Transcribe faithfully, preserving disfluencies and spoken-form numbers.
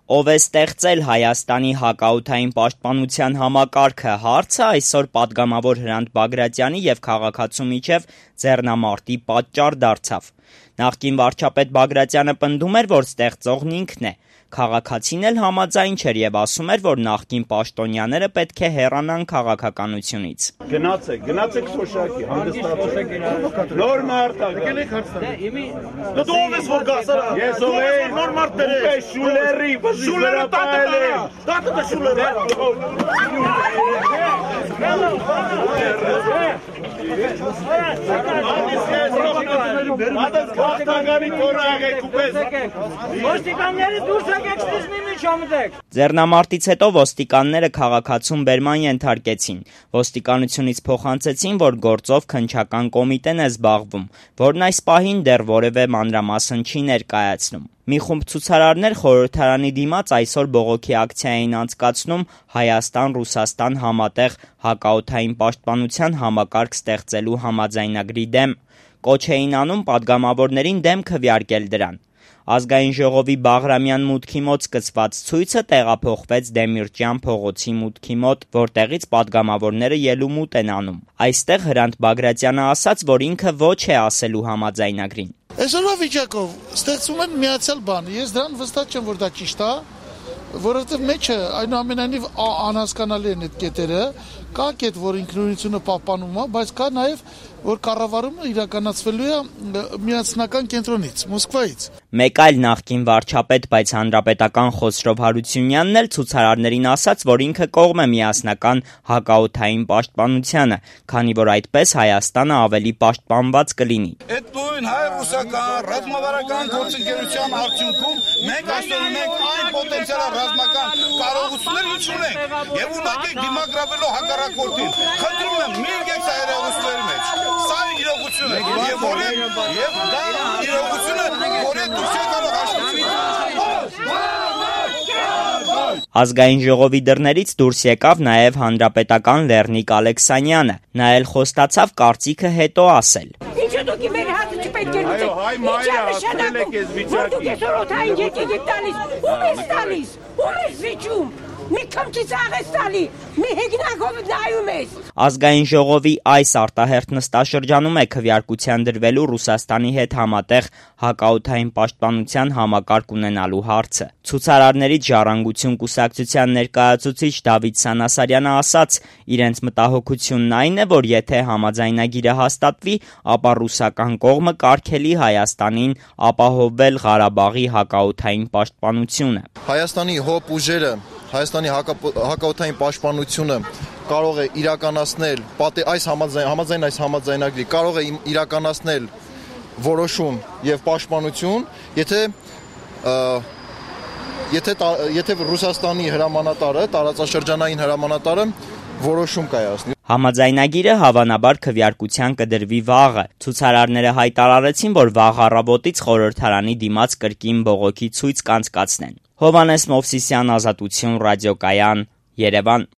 Ով է ստեղծել Հայաստանի հակաօդային պաշտպանության համակարգը հարցը այսօր պատգամավոր Հրանտ Բագրատյանի և քաղաքացու միջև ձեռնամարտի պատճառ դարձավ։ Նախկին վարչապետ Բագրատյանը պնդում էր, որ ստեղծողն ինքն է։ Քաղաքացին էլ համաձայն չէր և ասում էր, որ նախկին պաշտոնյաները պետք է հեռանան քաղաքականությունից։ Գնացեք, գնացեք Շոշակի, հանդիսացեք։ Նոր մարդ ա։ Դու ով ես որ գաս։ Ես ով եմ, նոր մարդ բերես։ Շուլերի, Շուլերը տատը է։ Տատը դե Շուլերը։ Ադես քաղաքագանի կորաղ եք ուպես։ Ոստիկանները դուրս եկեք ստիզմի մեջ ամդեք։ Ձեռնամարտից հետո ոստիկանները քաղաքացուն բերման ենթարկեցին։ Ոստիկանությունից փոխանցեցին, որ գործով քննչական կոմիտեն է զբաղվում, որն այս պահին դեռ որևէ մանրամասն չի ներկայացնում։ Մի խումբ ցուցարարներ խորհրդարանի դիմաց այսօր բողոքի ակցիա էին անցկացնում Հայաստան-Ռուսաստան համատեղ հակաօդային պաշտպանության համակարգ ստեղծելու համաձայնագրի դեմ։ Կոչ էին անում պատգամավորներին դեմ քվեարկել դրան։ Ազգային ժողովի Բաղրամյան մուտքի մոտ սկսված ցույցը տեղափոխվեց Դեմիրճյան փողոցի մուտքի մոտ, որտեղից պատգամավորները ելումուտ են անում։ Այստեղ Հրանտ Բագրատյանը ասաց, որ ինքը ոչ է ասելու համաձայնագրին։ Այսօրվա վիճակով ստեղծում են միացյալ բան։ Ես դրան վստահ չեմ, որ դա ճիշտ է, որովհետև մեջը այնուամենայնիվ անհասկանալի են այդ կետերը, կա կետ, որ ինքնուրույնությունը պահպանում է, բայց կա նաև, որ կառավարումը իրականացվելու է միասնական կենտրոնից, Մոսկվայից։ Մեկ այլ նախկին վարչապետ, բայց հանրապետական Խոսրով Հարությունյանն էլ ցուցարարներին ասաց, որ ինքը կողմ է միասնական հակաօդային պաշտպանությանը, քանի որ այդպես Հայաստանը ավելի պաշտպանված կլինի։ Այդ նույն հայ-ռուսական ռազմավարական գործընկերության արդյունքում մենք այսօր ունենք այն պոտենցիալ ռազմական կարողություններ ունենք եւ ունակի դիմագրավելով հակառակորդին։ Խնդրում եմ, մի եկեք սա իրողությունների մեջ։ Սա իրողություն է եւ որ եւ դա իրողությունը, որ դուրս եկավ հաշվի։ Ազգային ժողովի դռներից դուրս եկավ նաև հանրապետական Լեռնիկ Ալեքսանյանը։ Նա էլ խոստացավ կարծիքը հետո ասել։ Ինչու դուք մեր հատը չպետք է լուծեք։ Այո, հայ մայրը ասել եք ես վիճակի։ Որ դուք այսօր օթային եկեք եք տալիս։ Ում ես տալիս։ Ում ես վիճում։ Մի քմքից աղես տալի, մի հեգնակով նայում ես։ Ազգային ժողովի այս արտահերթ նստաշրջանում է քվեարկության դրվելու Ռուսաստանի հետ համատեղ հակաօդային պաշտպանության համակարգ ունենալու հարցը։ Ցուցարարներից Ժառանգություն կուսակցության ներկայացուցիչ Դավիթ Սանասարյանը ասաց, իրենց մտահոգությունն այն է, որ եթե համաձայնագիրը հաստատվի, ապա ռուսական կողմը կարգելի Հայաստանին ապահովել Ղարաբաղի հակաօդային պաշտպանությունը։ Հայաստանի հոբ ուժերը Հայաստանի հակաօդային պաշտպանությունը կարող է իրականացնել այս համաձայն այս համաձայնագրի կարող է իրականացնել որոշում եւ պաշտպանություն, եթե եթե եթե Ռուսաստանի հրամանատարը, տարածաշրջանային հրամանատարը որոշում կայացնի։ Համաձայնագիրը հավանաբար քվեարկության կդրվի վաղը։ Ցուցարարները հայտարարեցին, որ վաղ առավոտից խորհրդարանի դիմաց կրկին բողոքի ցույց կանցկացնեն։ Հովհաննես Մովսիսյան, Ազատություն, ռադիոկայան, Երևան։